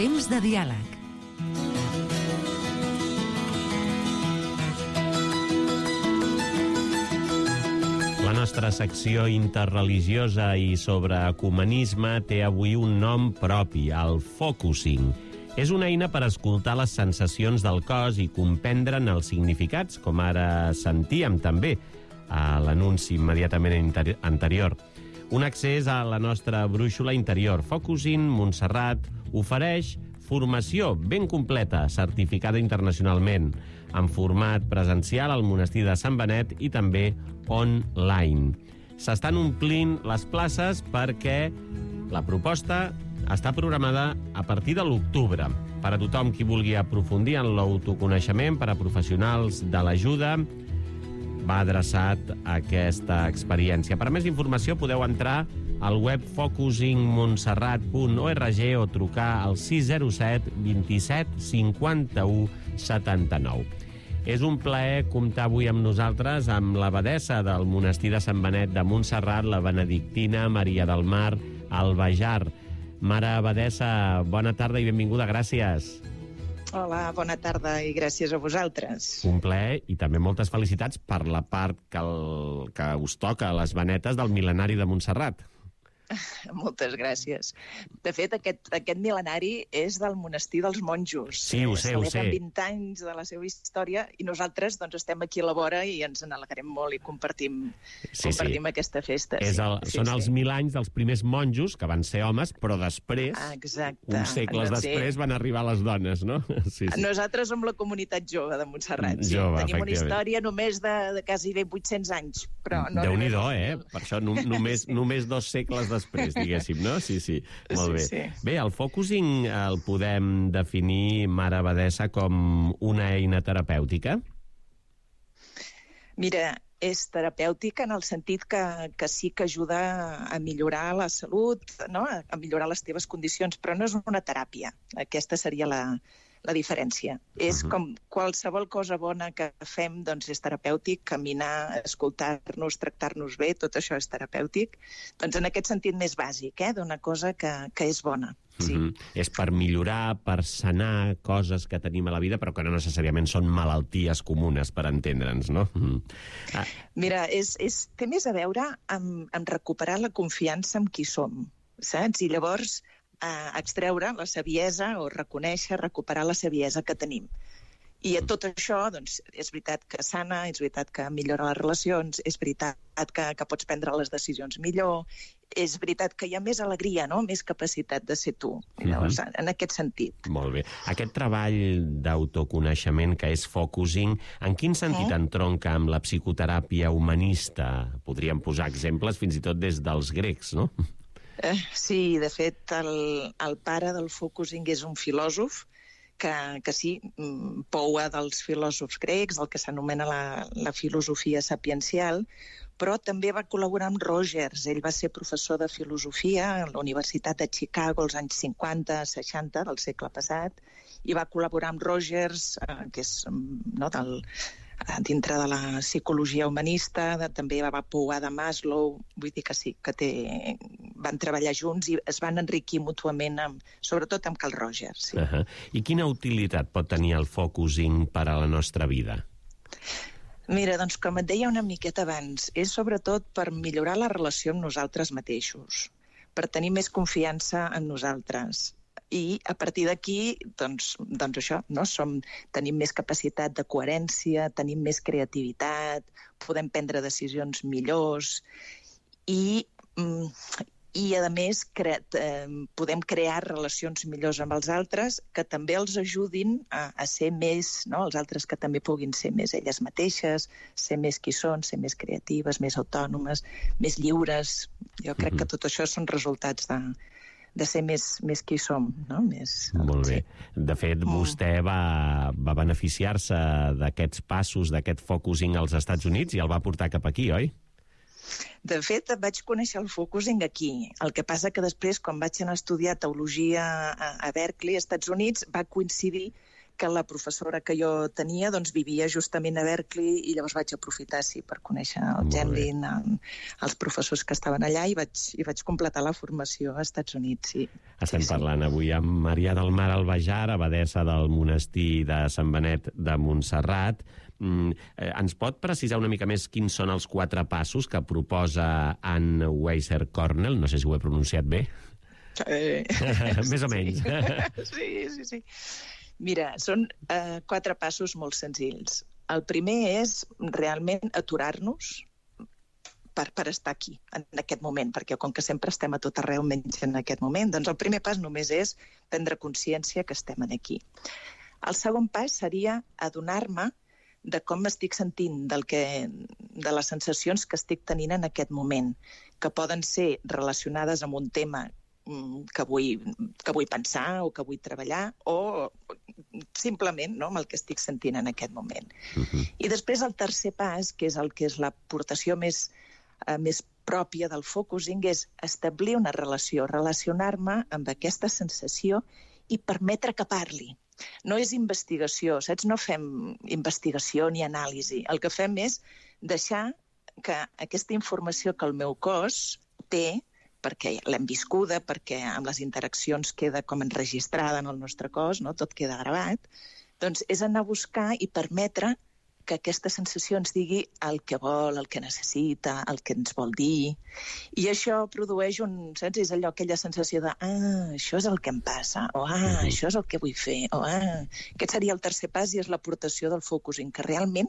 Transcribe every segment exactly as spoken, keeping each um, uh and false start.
Temps de diàleg. La nostra secció interreligiosa i sobre ecumenisme té avui un nom propi, el focusing. És una eina per escoltar les sensacions del cos i comprendre'n els significats, com ara sentíem també a l'anunci immediatament anterior. Un accés a la nostra brúixola interior. Focusing Montserrat ofereix formació ben completa, certificada internacionalment, en format presencial al monestir de Sant Benet i també online. S'estan omplint les places perquè la proposta està programada a partir de l'octubre. Per a tothom qui vulgui aprofundir en l'autoconeixement, per a professionals de l'ajuda, va adreçat a aquesta experiència. Per a més informació podeu entrar al web focusing montserrat punt org o trucar al sis zero set vint-i-set cinquanta-u setanta-nou. És un plaer comptar avui amb nosaltres amb l'abadessa del monestir de Sant Benet de Montserrat, la benedictina Maria del Mar Albajar. Mare abadessa, bona tarda i benvinguda, gràcies. Hola, bona tarda i gràcies a vosaltres. Un plaer i també moltes felicitats per la part que, el, que us toca a les Benetes del mil·lenari de Montserrat. Moltes gràcies. De fet, aquest, aquest mil·lenari és del monestir dels monjos. Sí, ho sé, ho sé. Celebren vint anys de la seva història i nosaltres doncs, estem aquí a la vora i ens n'alegrem molt i compartim, sí, compartim sí. aquesta festa. És el, sí, són sí, els sí. mil anys dels primers monjos, que van ser homes, però després, ah, exacte. uns segles sí. després, van arribar les dones, no? Sí, sí. Nosaltres som la comunitat jove de Montserrat. Sí. Jove, Tenim una efectivament. història només de, de quasi bé vuit-cents anys. Però no Déu-n'hi-do, eh? Per això no, només, sí, sí. només dos segles després, diguéssim, no? Sí, sí, molt bé. Sí, sí. Bé, el focusing el podem definir, mare abadessa, com una eina terapèutica? Mira, és terapèutica en el sentit que, que sí que ajuda a millorar la salut, no? A millorar les teves condicions, però no és una teràpia. Aquesta seria la, la diferència. Uh-huh. És com qualsevol cosa bona que fem, doncs és terapèutic, caminar, escoltar-nos, tractar-nos bé, tot això és terapèutic. Doncs en aquest sentit més bàsic, eh? D'una cosa que, que és bona. Sí. Uh-huh. És per millorar, per sanar coses que tenim a la vida, però que no necessàriament són malalties comunes, per entendre'ns, no? Uh-huh. Ah. Mira, és, és, té més a veure amb, amb recuperar la confiança en qui som, saps? I llavors eh, extreure la saviesa o reconèixer, recuperar la saviesa que tenim. I a tot això, doncs, és veritat que sana, és veritat que millora les relacions, és veritat que, que pots prendre les decisions millor, és veritat que hi ha més alegria, no? Més capacitat de ser tu. Llavors, uh-huh. en aquest sentit. Molt bé. Aquest treball d'autoconeixement que és focusing, en quin sentit uh-huh. entronca amb la psicoteràpia humanista? Podríem posar exemples fins i tot des dels grecs, no? Eh, sí, de fet, el, el pare del focusing és un filòsof que, que sí, poua dels filòsofs grecs, el que s'anomena la, la filosofia sapiencial, però també va col·laborar amb Rogers. Ell va ser professor de filosofia a la Universitat de Chicago als anys cinquanta seixanta del segle passat i va col·laborar amb Rogers, eh, que és no, del, dintre de la psicologia humanista, de, també va pouar de Maslow, vull dir que sí, que té, van treballar junts i es van enriquir mútuament, amb, sobretot amb Carl Rogers. Sí. Uh-huh. I quina utilitat pot tenir el focusing per a la nostra vida? Mira, doncs com et deia una miqueta abans, és sobretot per millorar la relació amb nosaltres mateixos, per tenir més confiança en nosaltres. I a partir d'aquí, doncs, doncs això, no? Som, tenim més capacitat de coherència, tenim més creativitat, podem prendre decisions millors i, i a més, cre, eh, podem crear relacions millors amb els altres que també els ajudin a, a ser més, no? Els altres que també puguin ser més elles mateixes, ser més qui són, ser més creatives, més autònomes, més lliures. Jo crec mm-hmm. que tot això són resultats de... de ser més, més qui som, no? Més, Molt bé. Sí. De fet, vostè va, va beneficiar-se d'aquests passos, d'aquest focusing als Estats Units i el va portar cap aquí, oi? De fet, vaig conèixer el focusing aquí. El que passa que després, quan vaig anar a estudiar teologia a, a Berkeley, als Estats Units, va coincidir que la professora que jo tenia doncs, vivia justament a Berkeley i llavors vaig aprofitar sí, per conèixer el Genlin, els professors que estaven allà i vaig, i vaig completar la formació als Estats Units. Sí. Estem sí, parlant sí. avui amb Maria del Mar Albajar, abadessa del monestir de Sant Benet de Montserrat. Mm, eh, ens pot precisar una mica més quins són els quatre passos que proposa Anne Weiser Cornell? No sé si ho he pronunciat bé. Eh, Més o menys. Sí, sí, sí. Mira, són eh, quatre passos molt senzills. El primer és realment aturar-nos per, per estar aquí, en aquest moment, perquè com que sempre estem a tot arreu menys en aquest moment, doncs el primer pas només és prendre consciència que estem aquí. El segon pas seria adonar-me de com m'estic sentint, del que, de les sensacions que estic tenint en aquest moment, que poden ser relacionades amb un tema que vull, que vull pensar o que vull treballar o simplement no, amb el que estic sentint en aquest moment. Uh-huh. I després el tercer pas, que és el que és l'aportació més, eh, més pròpia del focusing, és establir una relació, relacionar-me amb aquesta sensació i permetre que parli. No és investigació, saps? No fem investigació ni anàlisi. El que fem és deixar que aquesta informació que el meu cos té, perquè l'hem viscuda, perquè amb les interaccions queda com enregistrada en el nostre cos, no? Tot queda gravat, doncs és anar a buscar i permetre que aquesta sensació ens digui el que vol, el que necessita, el que ens vol dir. I això produeix un, saps? És allò, aquella sensació de ah, això és el que em passa, o ah, uh-huh. això és el que vull fer, o ah... Aquest seria el tercer pas i és l'aportació del focusing, que realment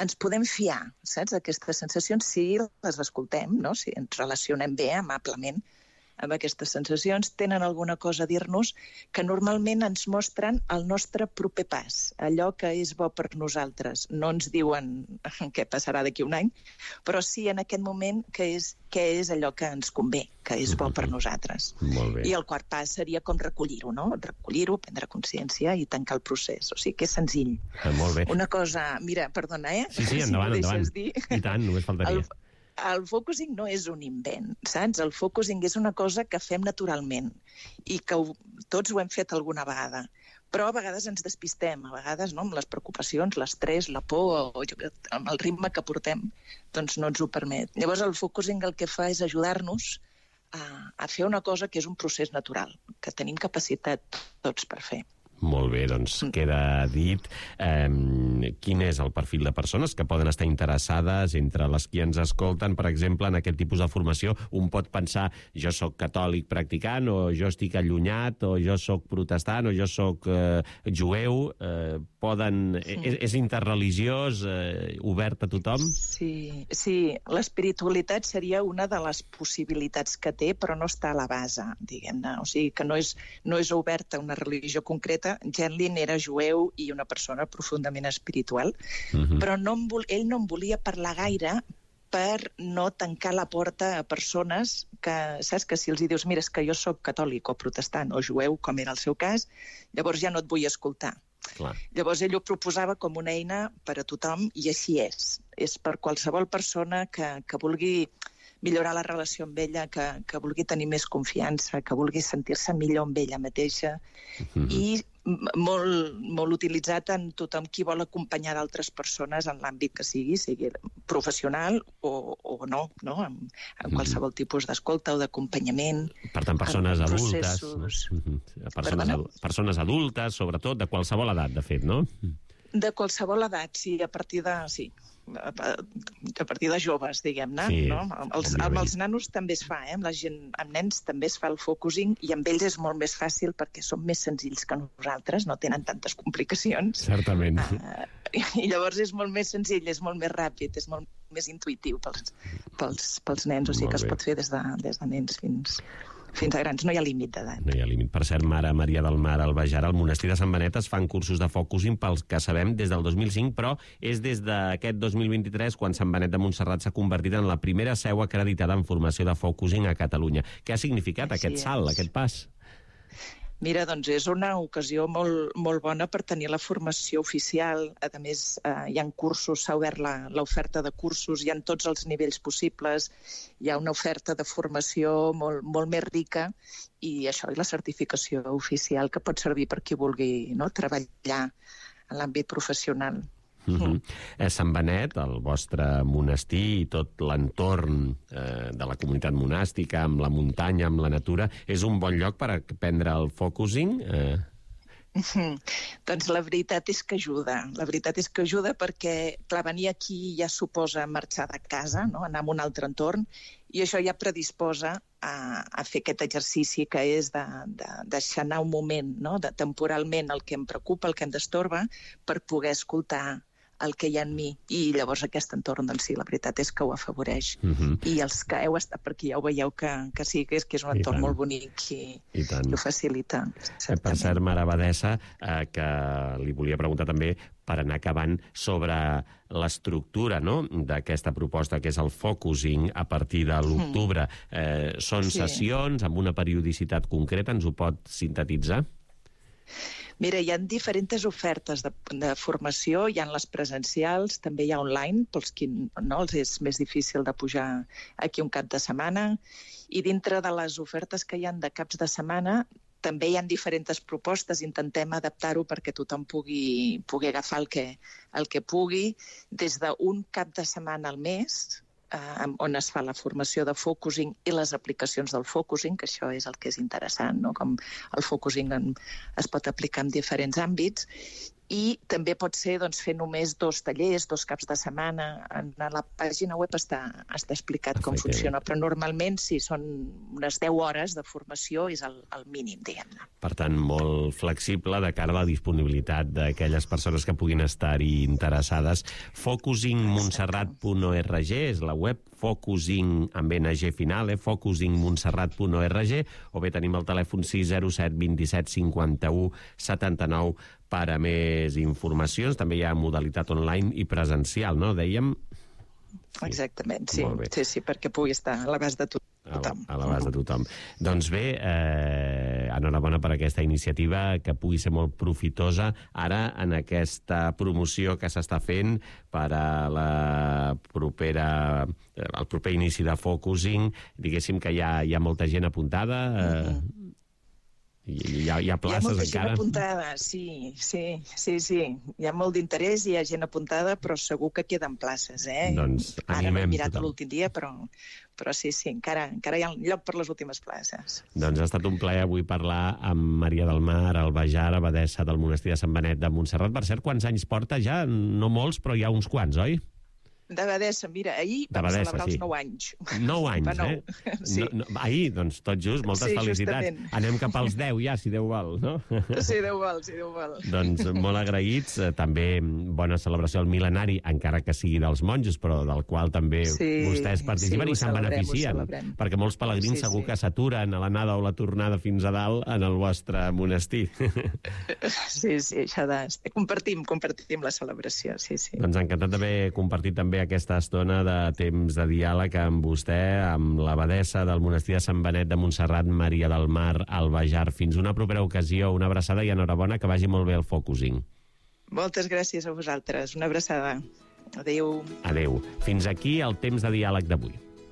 ens podem fiar, saps, d'aquestes sensacions si les escoltem, no? Si ens relacionem bé, amablement, amb aquestes sensacions, tenen alguna cosa a dir-nos que normalment ens mostren el nostre proper pas, allò que és bo per nosaltres. No ens diuen què passarà d'aquí un any, però sí en aquest moment què és, què és allò que ens convé, que és bo per nosaltres. Molt bé. I el quart pas seria com recollir-ho, no? Recollir-ho, prendre consciència i tancar el procés. O sigui que és senzill. Ah, molt bé. Una cosa, mira, perdona, eh? Sí, sí, endavant, si endavant. dir. I tant, només faltaria. El... El focusing no és un invent, saps? El focusing és una cosa que fem naturalment i que ho, tots ho hem fet alguna vegada. Però a vegades ens despistem, a vegades no, amb les preocupacions, l'estrès, la por, o amb el ritme que portem, doncs no ens ho permet. Llavors el focusing el que fa és ajudar-nos a, a fer una cosa que és un procés natural, que tenim capacitat tots per fer. Molt bé, doncs queda dit. Eh, quin és el perfil de persones que poden estar interessades entre les que ens escolten, per exemple, en aquest tipus de formació? Un pot pensar, jo sóc catòlic practicant, o jo estic allunyat, o jo sóc protestant, o jo sóc eh, jueu. Eh, poden... Sí. És, és interreligiós, eh, obert a tothom? Sí, sí. L'espiritualitat seria una de les possibilitats que té, però no està a la base, diguem-ne. O sigui, que no és, no és oberta a una religió concreta. Genlin era jueu i una persona profundament espiritual, uh-huh. però no en vol, ell no en volia parlar gaire per no tancar la porta a persones que, saps, que si els hi dius, mira, és que jo sóc catòlic o protestant o jueu, com era el seu cas, llavors ja no et vull escoltar. Clar. Llavors ell ho proposava com una eina per a tothom i així és. És per qualsevol persona que, que vulgui millorar la relació amb ella, que, que vulgui tenir més confiança, que vulgui sentir-se millor amb ella mateixa, mm-hmm. i molt, molt utilitzat en tothom qui vol acompanyar d'altres persones en l'àmbit que sigui, sigui professional o, o no, no? En, en qualsevol mm-hmm. tipus d'escolta o d'acompanyament. Per tant, persones adultes. Processos... Mm-hmm. Persones, adu persones adultes, sobretot, de qualsevol edat, de fet, no? De qualsevol edat, sí, a partir de... Sí. a partir de joves, diguem-ne. Sí, no? Els, amb els nanos també es fa, eh? Amb, la gent, amb nens també es fa el focusing i amb ells és molt més fàcil perquè són més senzills que nosaltres, no tenen tantes complicacions. Certament. Uh, I llavors és molt més senzill, és molt més ràpid, és molt més intuïtiu pels, pels, pels nens, o sigui que es pot fer des de, des de nens fins... fins a grans, no hi ha límit d'edat. No hi ha límit. Per cert, mare Maria del Mar Albajar, al monestir de Sant Benet es fan cursos de focusing pels que sabem des del dos mil cinc, però és des d'aquest dos mil vint-i-tres quan Sant Benet de Montserrat s'ha convertit en la primera seu acreditada en formació de focusing a Catalunya. Què ha significat Així aquest és. salt, aquest pas? Mira, doncs és una ocasió molt, molt bona per tenir la formació oficial. A més, eh, hi ha cursos, s'ha obert l'oferta de cursos, hi ha tots els nivells possibles, hi ha una oferta de formació molt, molt més rica i això, i la certificació oficial que pot servir per qui vulgui, no?, treballar en l'àmbit professional. Uh-huh. eh, Sant Benet, el vostre monestir i tot l'entorn eh, de la comunitat monàstica, amb la muntanya, amb la natura, és un bon lloc per aprendre el focusing? Eh... Mm-hmm. Doncs la veritat és que ajuda. La veritat és que ajuda perquè, clar, venir aquí ja suposa marxar de casa, no?, anar a un altre entorn, i això ja predisposa a, a fer aquest exercici que és de, de deixar anar un moment, no?, de temporalment el que em preocupa, el que em destorba, per poder escoltar el que hi ha en mi. I llavors aquest entorn, doncs sí, la veritat és que ho afavoreix. Uh-huh. I els que heu estat per aquí ja ho veieu que, que sí, que és, que és un entorn molt bonic i, I, i ho facilita. Eh, per cert, mare Abadessa, eh, que li volia preguntar també, per anar acabant, sobre l'estructura, no?, d'aquesta proposta, que és el focusing a partir de l'octubre. Eh, són sí. sessions amb una periodicitat concreta, ens ho pot sintetitzar? Mira, hi ha diferents ofertes de, de formació, hi ha les presencials, també hi ha online, pels qui no els és més difícil de pujar aquí un cap de setmana, i dintre de les ofertes que hi ha de caps de setmana també hi ha diferents propostes, intentem adaptar-ho perquè tothom pugui, pugui agafar el que, el que pugui, des d'un cap de setmana al mes, eh, on es fa la formació de focusing i les aplicacions del focusing, que això és el que és interessant, no?, com el focusing en, es pot aplicar en diferents àmbits, i també pot ser, doncs, fer només dos tallers, dos caps de setmana. En la pàgina web està, està explicat com funciona, però normalment, si són unes deu hores de formació, és el, el mínim, diguem-ne. Per tant, molt flexible de cara a la disponibilitat d'aquelles persones que puguin estar-hi interessades. focusing montserrat punt org és la web, focusing amb ena ge final, eh? focusing montserrat punt org, o bé tenim el telèfon sis zero set, vint-i-set, cinquanta-u, setanta-nou per a més informacions. També hi ha modalitat online i presencial, no? Dèiem? Sí. Exactament, sí. Sí, sí, perquè pugui estar a l'abast de tothom. A l'abast de tothom. Doncs bé, eh, enhorabona per aquesta iniciativa, que pugui ser molt profitosa ara en aquesta promoció que s'està fent per a la propera, el proper inici de focusing. Diguéssim que hi ha, hi ha molta gent apuntada. Eh, uh-huh. Hi ha, hi ha places encara? Hi ha molta gent apuntada, sí, sí, sí, sí. Hi ha molt d'interès, hi ha gent apuntada, però segur que queden places, eh? Doncs animem Ara no he mirat tothom. L'últim dia, però, però sí, sí, encara, encara hi ha lloc per les últimes places. Doncs ha estat un plaer avui parlar amb Maria del Mar Albajar, abadessa del monestir de Sant Benet de Montserrat. Per cert, quants anys porta ja? No molts, però hi ha uns quants, oi? D'Abadessa, mira, ahir vam celebrar sí. els nou anys. Nou anys, nou. eh? Sí. No, no, ahir, doncs, tot just, moltes sí, felicitats. Justament. Anem cap als deu ja, si Déu vol, no? Sí, Déu vol, sí, Déu vol. Doncs molt agraïts. També bona celebració al mil·lenari, encara que sigui dels monjos, però del qual també sí, vostès participen sí, i se'n beneficien. Celebrem. Perquè molts pelegrins sí, segur sí. que s'aturen a l'anada o la tornada fins a dalt en el vostre monestir. Sí, sí, això de... Compartim, compartim la celebració, sí, sí. Doncs encantat d'haver compartit també aquesta estona de temps de diàleg amb vostè, amb l'abadessa del monestir de Sant Benet de Montserrat, Maria del Mar Albajar. Fins una propera ocasió, una abraçada i enhorabona, que vagi molt bé el focusing. Moltes gràcies a vosaltres, una abraçada. Adéu. Adéu. Fins aquí el temps de diàleg d'avui.